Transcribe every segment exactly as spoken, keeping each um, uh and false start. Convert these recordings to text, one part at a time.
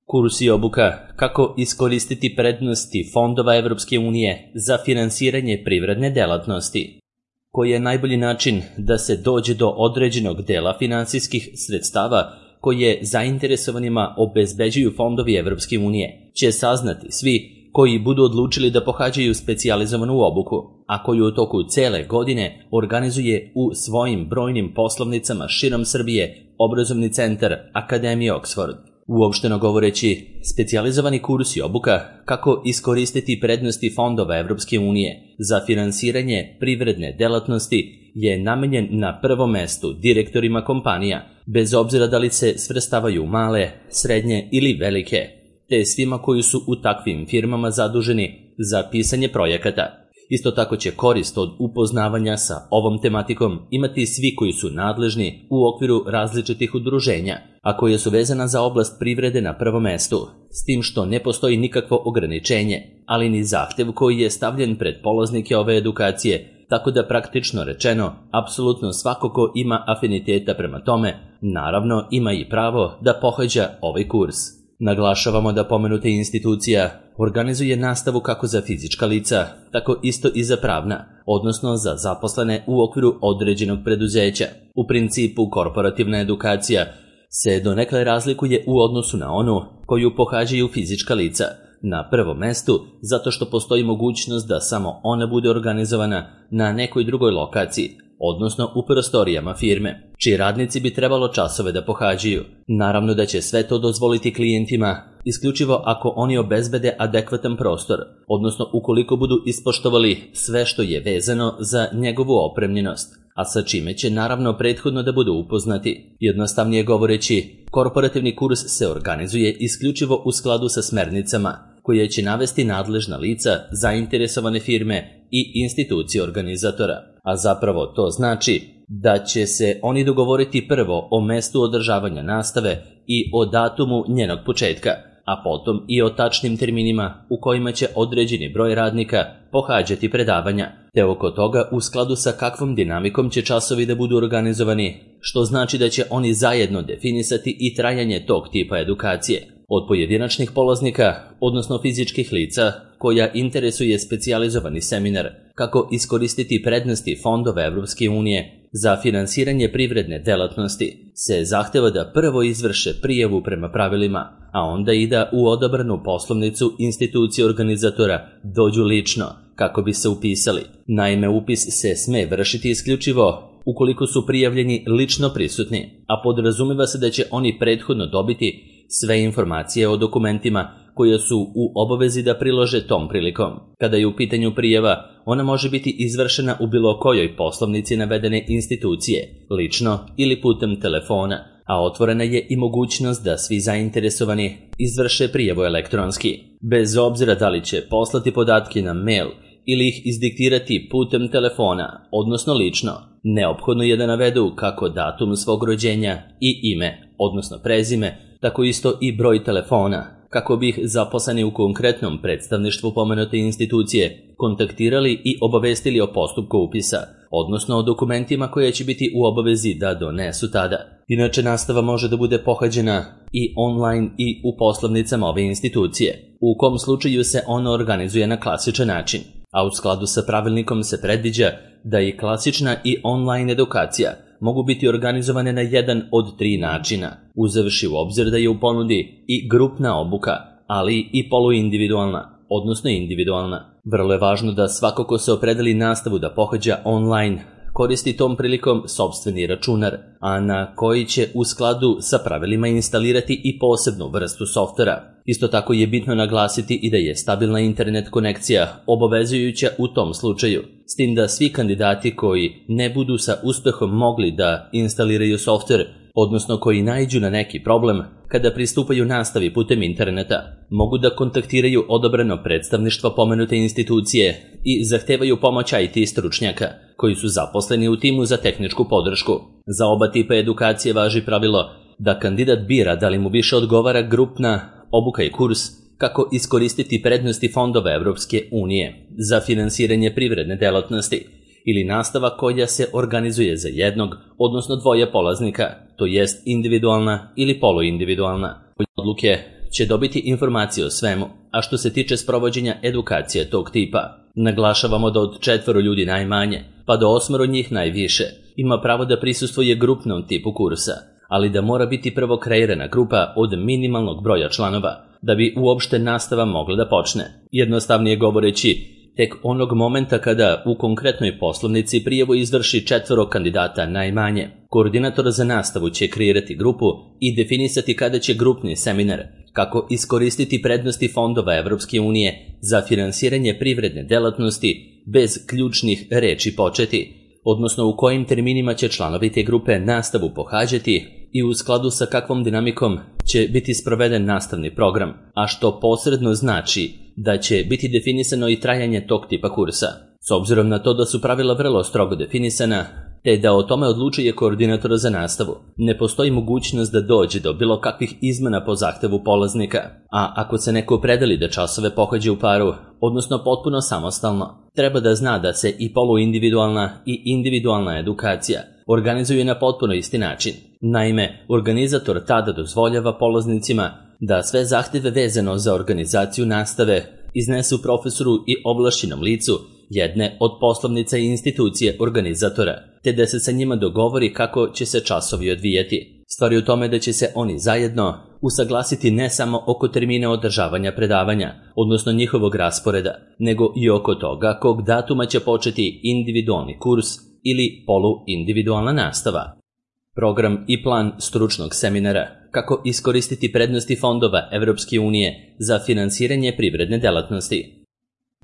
Kurs i obuka kako iskoristiti prednosti fondova Evropske unije za finansiranje privredne delatnosti. Koji je najbolji način da se dođe do određenog dela finansijskih sredstava koje zainteresovanima obezbeđuju fondovi Evropske unije, će saznati svi koji budu odlučili da pohađaju specijalizovanu obuku, a koju u toku cele godine organizuje u svojim brojnim poslovnicama širom Srbije obrazovni centar Akademije Oxford. Uopšteno govoreći, specijalizovani kurs i obuka kako iskoristiti prednosti fondova Evropske unije za finansiranje privredne delatnosti je namenjen na prvom mestu direktorima kompanija, bez obzira da li se svrstavaju male, srednje ili velike, te svima koji su u takvim firmama zaduženi za pisanje projekata. Isto tako će korist od upoznavanja sa ovom tematikom imati svi koji su nadležni u okviru različitih udruženja, a koje su vezana za oblast privrede na prvom mestu, s tim što ne postoji nikakvo ograničenje, ali ni zahtev koji je stavljen pred polaznike ove edukacije, tako da praktično rečeno, apsolutno svako ko ima afiniteta prema tome, naravno ima i pravo da pohađa ovaj kurs. Naglašavamo da pomenuta institucija organizuje nastavu kako za fizička lica, tako isto i za pravna, odnosno za zaposlene u okviru određenog preduzeća. U principu, korporativna edukacija se donekle razlikuje u odnosu na onu koju pohađaju fizička lica, na prvom mestu zato što postoji mogućnost da samo ona bude organizovana na nekoj drugoj lokaciji, odnosno u prostorijama firme, čiji radnici bi trebalo časove da pohađaju. Naravno da će sve to dozvoliti klijentima isključivo ako oni obezbede adekvatan prostor, odnosno ukoliko budu ispoštovali sve što je vezano za njegovu opremljenost, a sa čime će naravno prethodno da budu upoznati. Jednostavnije govoreći, korporativni kurs se organizuje isključivo u skladu sa smernicama koje će navesti nadležna lica, zainteresovane firme i institucije organizatora. A zapravo to znači da će se oni dogovoriti prvo o mestu održavanja nastave i o datumu njenog početka, a potom i o tačnim terminima u kojima će određeni broj radnika pohađati predavanja, te oko toga u skladu sa kakvom dinamikom će časovi da budu organizovani, što znači da će oni zajedno definisati i trajanje tog tipa edukacije. Od pojedinačnih polaznika, odnosno fizičkih lica, koja interesuje specijalizovani seminar kako iskoristiti prednosti fondova Evropske unije za finansiranje privredne delatnosti, se zahteva da prvo izvrše prijavu prema pravilima, a onda i da u odabranu poslovnicu institucije organizatora dođu lično kako bi se upisali. Naime, upis se sme vršiti isključivo ukoliko su prijavljeni lično prisutni, a podrazumeva se da će oni prethodno dobiti sve informacije o dokumentima koje su u obavezi da prilože tom prilikom. Kada je u pitanju prijava, ona može biti izvršena u bilo kojoj poslovnici navedene institucije, lično ili putem telefona, a otvorena je i mogućnost da svi zainteresovani izvrše prijavu elektronski. Bez obzira da li će poslati podatke na mail ili ih izdiktirati putem telefona, odnosno lično, neophodno je da navedu kako datum svog rođenja i ime, odnosno prezime, tako isto i broj telefona, kako bi ih zaposleni u konkretnom predstavništvu pomenute institucije kontaktirali i obavestili o postupku upisa, odnosno o dokumentima koje će biti u obavezi da donesu tada. Inače, nastava može da bude pohađena i online i u poslovnicama ove institucije, u kom slučaju se ona organizuje na klasičan način, a u skladu sa pravilnikom se predviđa da i klasična i online edukacija mogu biti organizovane na jedan od tri načina, uzevši u obzir da je u ponudi i grupna obuka, ali i poluindividualna, odnosno individualna. Vrlo je važno da svako ko se opredeli nastavu da pohađa online koristi tom prilikom sopstveni računar, a na koji će u skladu sa pravilima instalirati i posebnu vrstu softvera. Isto tako je bitno naglasiti i da je stabilna internet konekcija obavezujuća u tom slučaju, s tim da svi kandidati koji ne budu sa uspehom mogli da instaliraju softver, odnosno koji naiđu na neki problem kada pristupaju nastavi putem interneta, mogu da kontaktiraju odabrano predstavništvo pomenute institucije i zahtevaju pomoć I T stručnjaka koji su zaposleni u timu za tehničku podršku. Za oba tipa edukacije važi pravilo da kandidat bira da li mu više odgovara grupna obuka i kurs kako iskoristiti prednosti fondova Evropske unije za finansiranje privredne delatnosti ili nastava koja se organizuje za jednog, odnosno dvoje polaznika, to jest individualna ili poluindividualna. Odluke će dobiti informacije o svemu, a što se tiče sprovođenja edukacije tog tipa, naglašavamo da od četvoro ljudi najmanje, pa do osmoro njih najviše, ima pravo da prisustvuje grupnom tipu kursa, ali da mora biti prvo kreirana grupa od minimalnog broja članova, da bi uopšte nastava mogla da počne. Jednostavnije govoreći, tek onog momenta kada u konkretnoj poslovnici prijavu izvrši četvoro kandidata najmanje, koordinator za nastavu će kreirati grupu i definisati kada će grupni seminar, kako iskoristiti prednosti fondova Evropske unije za finansiranje privredne delatnosti bez ključnih reči početi, odnosno u kojim terminima će članovi te grupe nastavu pohađati i u skladu sa kakvom dinamikom će biti sproveden nastavni program, a što posredno znači da će biti definisano i trajanje tog tipa kursa. S obzirom na to da su pravila vrlo strogo definisana, te da o tome odlučuje koordinator za nastavu, ne postoji mogućnost da dođe do bilo kakvih izmena po zahtevu polaznika, a ako se neko opredeli da časove pohađa u paru, odnosno potpuno samostalno, treba da zna da se i poluindividualna i individualna edukacija organizuju na potpuno isti način. Naime, organizator tada dozvoljava polaznicima da sve zahteve vezano za organizaciju nastave iznesu profesoru i ovlašćenom licu jedne od poslovnica i institucije organizatora, te da se sa njima dogovori kako će se časovi odvijeti. Stvar je u tome da će se oni zajedno usaglasiti ne samo oko termina održavanja predavanja, odnosno njihovog rasporeda, nego i oko toga kog datuma će početi individualni kurs ili poluindividualna nastava. Program i plan stručnog seminara kako iskoristiti prednosti fondova Evropske unije za finansiranje privredne delatnosti.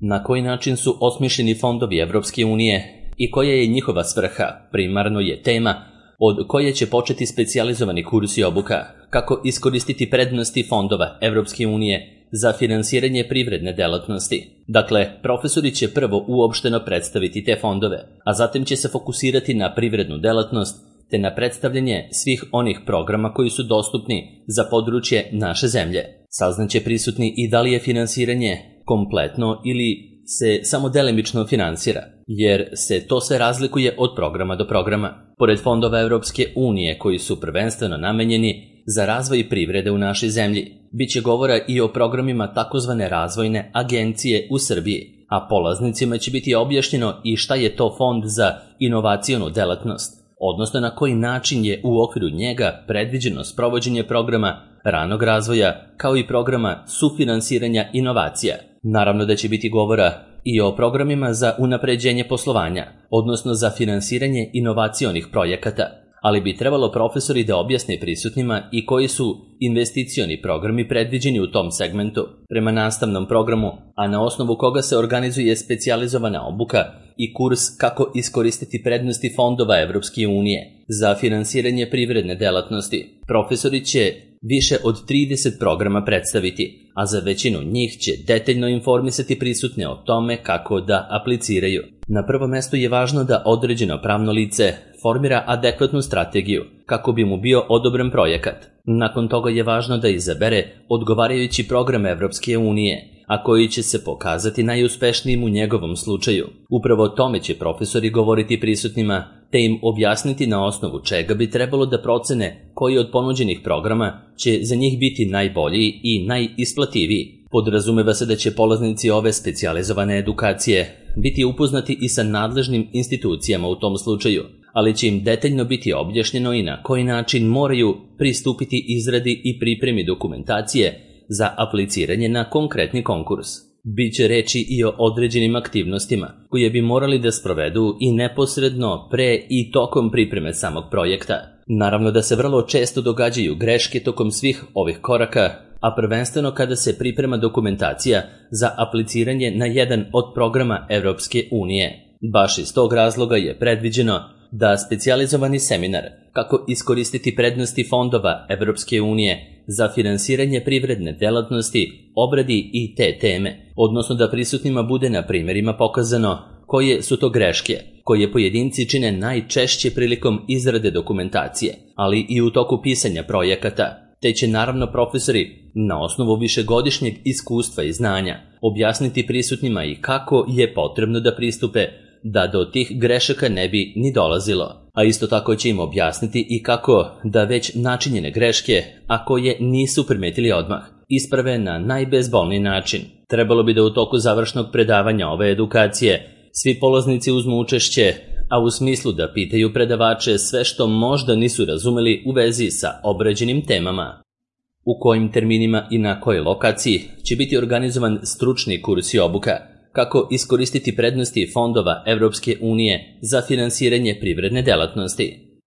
Na koji način su osmišljeni fondovi Evropske unije i koja je njihova svrha, primarno je tema od koje će početi specijalizovani kurs i obuka, kako iskoristiti prednosti fondova Evropske unije za finansiranje privredne delatnosti. Dakle, profesori će prvo uopšteno predstaviti te fondove, a zatim će se fokusirati na privrednu delatnost te na predstavljanje svih onih programa koji su dostupni za područje naše zemlje. Saznaće prisutni i da li je finansiranje kompletno ili se samo delimično finansira, jer se to sve razlikuje od programa do programa. Pored fondova Evropske unije koji su prvenstveno namenjeni za razvoj privrede u našoj zemlji, bit će govora i o programima takozvane razvojne agencije u Srbiji, a polaznicima će biti objašnjeno i šta je to fond za inovacionu delatnost, odnosno na koji način je u okviru njega predviđeno sprovođenje programa ranog razvoja kao i programa sufinansiranja inovacija. Naravno da će biti govora i o programima za unapređenje poslovanja, odnosno za finansiranje inovacionih projekata, ali bi trebalo profesori da objasne prisutnima i koji su investicioni programi predviđeni u tom segmentu prema nastavnom programu, a na osnovu koga se organizuje specijalizovana obuka i kurs kako iskoristiti prednosti fondova Evropske unije za finansiranje privredne delatnosti. Profesori će više od trideset programa predstaviti, a za većinu njih će detaljno informisati prisutne o tome kako da apliciraju. Na prvom mestu je važno da određeno pravno lice formira adekvatnu strategiju kako bi mu bio odobren projekat. Nakon toga je važno da izabere odgovarajući program Evropske unije, a koji će se pokazati najuspešnijim u njegovom slučaju. Upravo o tome će profesori govoriti prisutnima, te im objasniti na osnovu čega bi trebalo da procene koji od ponuđenih programa će za njih biti najbolji i najisplativiji. Podrazumeva se da će polaznici ove specijalizovane edukacije biti upoznati i sa nadležnim institucijama u tom slučaju, ali će im detaljno biti objašnjeno i na koji način moraju pristupiti izradi i pripremi dokumentacije za apliciranje na konkretni konkurs. Biće reči i o određenim aktivnostima koje bi morali da sprovedu i neposredno pre i tokom pripreme samog projekta. Naravno da se vrlo često događaju greške tokom svih ovih koraka, a prvenstveno kada se priprema dokumentacija za apliciranje na jedan od programa Evropske unije. Baš iz tog razloga je predviđeno da specijalizovani seminar kako iskoristiti prednosti fondova Evropske unije za finansiranje privredne delatnosti obradi i te teme, odnosno da prisutnima bude na primjerima pokazano koje su to greške, koje pojedinci čine najčešće prilikom izrade dokumentacije, ali i u toku pisanja projekata, te će naravno profesori na osnovu višegodišnjeg iskustva i znanja objasniti prisutnima i kako je potrebno da pristupe da do tih grešaka ne bi ni dolazilo, a isto tako će im objasniti i kako da već načinjene greške, a koje nisu primetili odmah, isprave na najbezbolniji način. Trebalo bi da u toku završnog predavanja ove edukacije svi polaznici uzmu učešće, a u smislu da pitaju predavače sve što možda nisu razumeli u vezi sa obrađenim temama. U kojim terminima i na kojoj lokaciji će biti organizovan stručni kurs i obuka, kako iskoristiti prednosti fondova Evropske unije za finansiranje privredne delatnosti.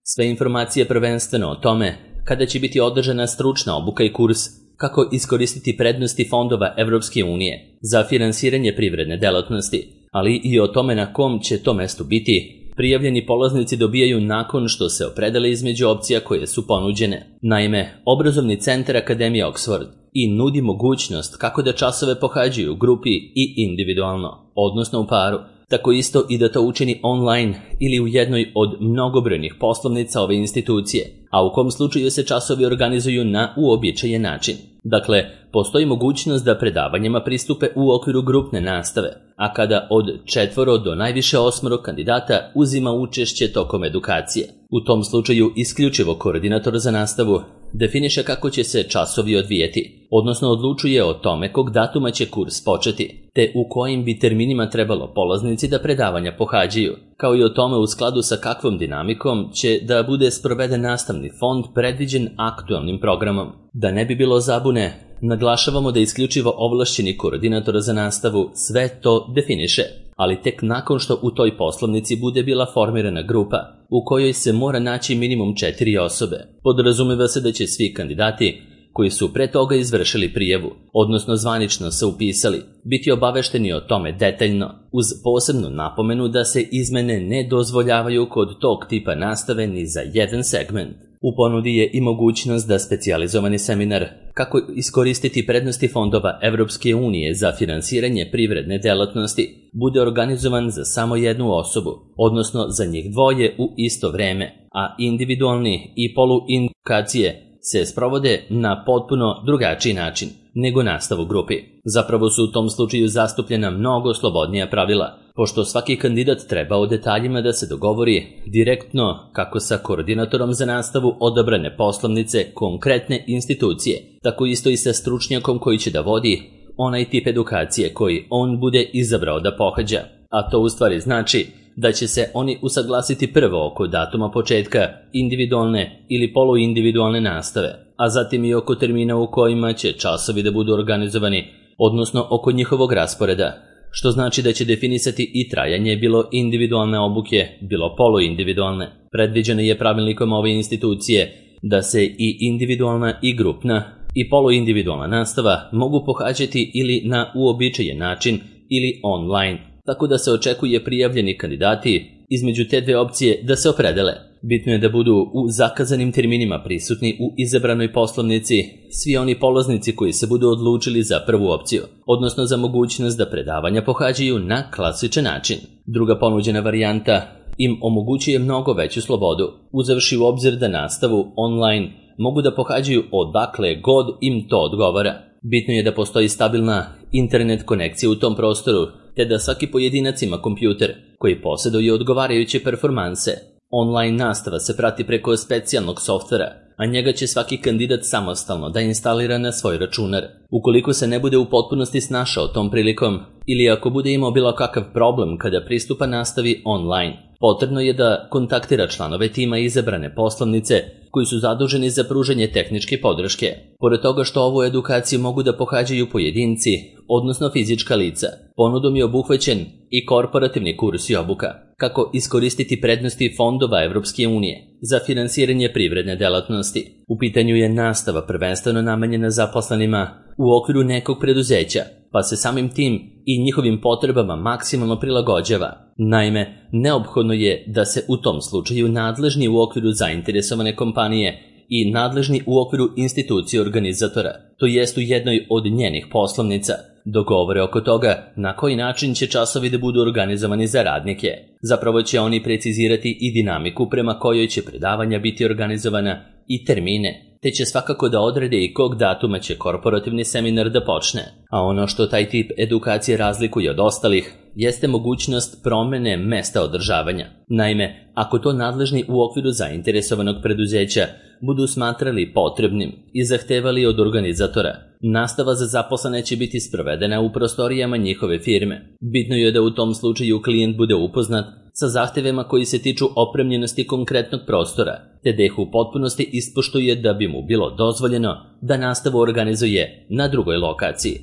Sve informacije prvenstveno o tome kada će biti održana stručna obuka i kurs, kako iskoristiti prednosti fondova Evropske unije za finansiranje privredne delatnosti, ali i o tome na kom će to mestu biti, prijavljeni polaznici dobijaju nakon što se opredele između opcija koje su ponuđene. Naime, obrazovni centar Akademije Oxford i nudi mogućnost kako da časove pohađaju u grupi i individualno, odnosno u paru, tako isto i da to učini online ili u jednoj od mnogobrojnih poslovnica ove institucije, a u kom slučaju se časovi organizuju na uobičajen način. Dakle, postoji mogućnost da predavanjima pristupe u okviru grupne nastave, a kada od četvoro do najviše osmoro kandidata uzima učešće tokom edukacije. U tom slučaju isključivo koordinator za nastavu definiše kako će se časovi odvijeti, odnosno odlučuje o tome kog datuma će kurs početi, te u kojim bi terminima trebalo polaznici da predavanja pohađaju, kao i o tome u skladu sa kakvom dinamikom će da bude sproveden nastavni fond predviđen aktualnim programom. Da ne bi bilo zabune, naglašavamo da isključivo ovlašćeni koordinator za nastavu sve to definiše, ali tek nakon što u toj poslovnici bude bila formirana grupa, u kojoj se mora naći minimum četiri osobe. Podrazumeva se da će svi kandidati koji su pre toga izvršili prijavu, odnosno zvanično se upisali, biti obavešteni o tome detaljno, uz posebnu napomenu da se izmene ne dozvoljavaju kod tog tipa nastave ni za jedan segment. U ponudi je i mogućnost da specijalizovani seminar kako iskoristiti prednosti fondova Evropske unije za finansiranje privredne delatnosti bude organizovan za samo jednu osobu, odnosno za njih dvoje u isto vreme, a individualni i poluindukacije se sprovode na potpuno drugačiji način nego nastav u grupi. Zapravo su u tom slučaju zastupljena mnogo slobodnija pravila, pošto svaki kandidat treba o detaljima da se dogovori direktno kako sa koordinatorom za nastavu odabrane poslovnice konkretne institucije, tako isto i sa stručnjakom koji će da vodi onaj tip edukacije koji on bude izabrao da pohađa, a to u stvari znači da će se oni usaglasiti prvo oko datuma početka individualne ili poluindividualne nastave, a zatim i oko termina u kojima će časovi da budu organizovani, odnosno oko njihovog rasporeda, što znači da će definisati i trajanje bilo individualne obuke, bilo poluindividualne. Predviđeno je pravilnikom ove institucije da se i individualna i grupna i poluindividualna nastava mogu pohađati ili na uobičajen način ili online, tako da se očekuje prijavljeni kandidati između te dve opcije da se opredele. Bitno je da budu u zakazanim terminima prisutni u izabranoj poslovnici svi oni polaznici koji se budu odlučili za prvu opciju, odnosno za mogućnost da predavanja pohađaju na klasičan način. Druga ponuđena varijanta im omogućuje mnogo veću slobodu, uzevši u obzir da nastavu online mogu da pohađaju odakle god im to odgovara. Bitno je da postoji stabilna internet konekcija u tom prostoru, te da svaki pojedinac ima kompjuter koji posjeduje odgovarajuće performanse. Online nastava se prati preko specijalnog softvera, a njega će svaki kandidat samostalno da instalira na svoj računar. Ukoliko se ne bude u potpunosti snašao tom prilikom ili ako bude imao bilo kakav problem kada pristupa nastavi online, potrebno je da kontaktira članove tima izabrane poslovnice koji su zaduženi za pružanje tehničke podrške. Pored toga što ovu edukaciju mogu da pohađaju pojedinci, odnosno fizička lica, ponudom je obuhvaćen i korporativni kurs i obuka, kako iskoristiti prednosti fondova Evropske unije za finansiranje privredne delatnosti. U pitanju je nastava prvenstveno namenjena zaposlenima u okviru nekog preduzeća, pa se samim tim i njihovim potrebama maksimalno prilagođava. Naime, neophodno je da se u tom slučaju nadležni u okviru zainteresovane kompanije i nadležni u okviru institucije organizatora, to jest u jednoj od njenih poslovnica, dogovore oko toga na koji način će časovi da budu organizovani za radnike. Zapravo će oni precizirati i dinamiku prema kojoj će predavanja biti organizovana i termine, te će svakako da odrede i kog datuma će korporativni seminar da počne. A ono što taj tip edukacije razlikuje od ostalih jeste mogućnost promene mesta održavanja. Naime, ako to nadležni u okviru zainteresovanog preduzeća budu smatrali potrebnim i zahtevali od organizatora. Nastava za zaposlene će biti sprovedena u prostorijama njihove firme. Bitno je da u tom slučaju klijent bude upoznat sa zahtevima koji se tiču opremljenosti konkretnog prostora, te da ih u potpunosti ispoštuje da bi mu bilo dozvoljeno da nastavu organizuje na drugoj lokaciji.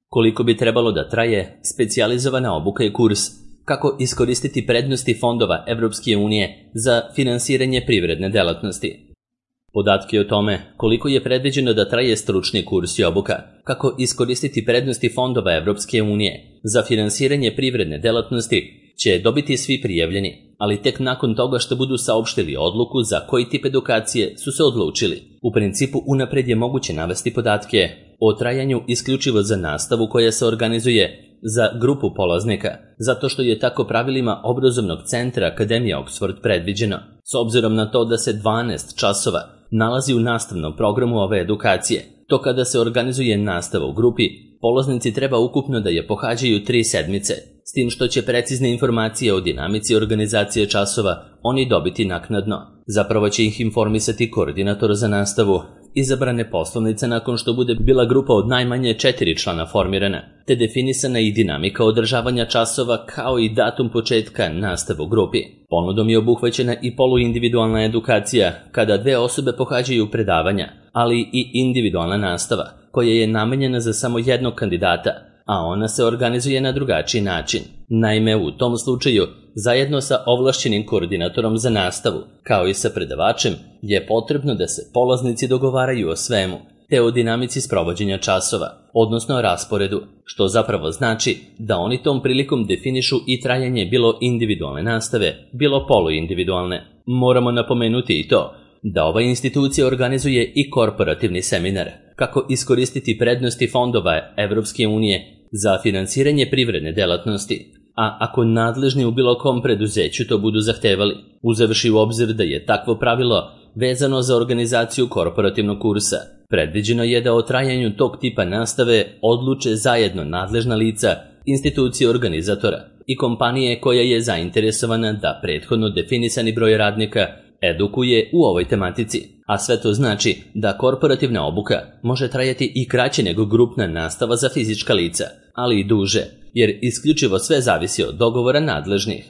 Koliko bi trebalo da traje specijalizovana obuka i kurs kako iskoristiti prednosti fondova Evropske unije za finansiranje privredne delatnosti? Podatke o tome koliko je predviđeno da traje stručni kurs i obuka kako iskoristiti prednosti fondova Evropske unije za finansiranje privredne delatnosti će dobiti svi prijavljeni, ali tek nakon toga što budu saopštili odluku za koji tip edukacije su se odlučili. U principu unapred je moguće navesti podatke o trajanju isključivo za nastavu koja se organizuje za grupu polaznika, zato što je tako pravilima obrazovnog centra Akademije Oxford predviđeno. S obzirom na to da se dvanaest časova nalazi u nastavnom programu ove edukacije, to kada se organizuje nastava u grupi, polaznici treba ukupno da je pohađaju tri sedmice, s tim što će precizne informacije o dinamici organizacije časova oni dobiti naknadno. Zapravo će ih informisati koordinator za nastavu izabrane poslovnice nakon što bude bila grupa od najmanje četiri člana formirana, te definisana i dinamika održavanja časova kao i datum početka nastave u grupi. Ponudom je obuhvaćena i poluindividualna edukacija kada dve osobe pohađaju predavanja, ali i individualna nastava koja je namenjena za samo jednog kandidata, a ona se organizuje na drugačiji način. Naime, u tom slučaju, zajedno sa ovlašćenim koordinatorom za nastavu, kao i sa predavačem, je potrebno da se polaznici dogovaraju o svemu, te o dinamici sprovođenja časova, odnosno rasporedu, što zapravo znači da oni tom prilikom definišu i trajanje bilo individualne nastave, bilo poluindividualne. Moramo napomenuti i to da ova institucija organizuje i korporativni seminar, kako iskoristiti prednosti fondova Evropske unije za finansiranje privredne delatnosti, a ako nadležni u bilo kom preduzeću to budu zahtevali, uzevši u obzir da je takvo pravilo vezano za organizaciju korporativnog kursa, predviđeno je da o trajanju tog tipa nastave odluče zajedno nadležna lica, institucije organizatora i kompanije koja je zainteresovana da prethodno definisani broj radnika edukuje u ovoj tematici, a sve to znači da korporativna obuka može trajati i kraće nego grupna nastava za fizička lica, ali i duže, jer isključivo sve zavisi od dogovora nadležnih.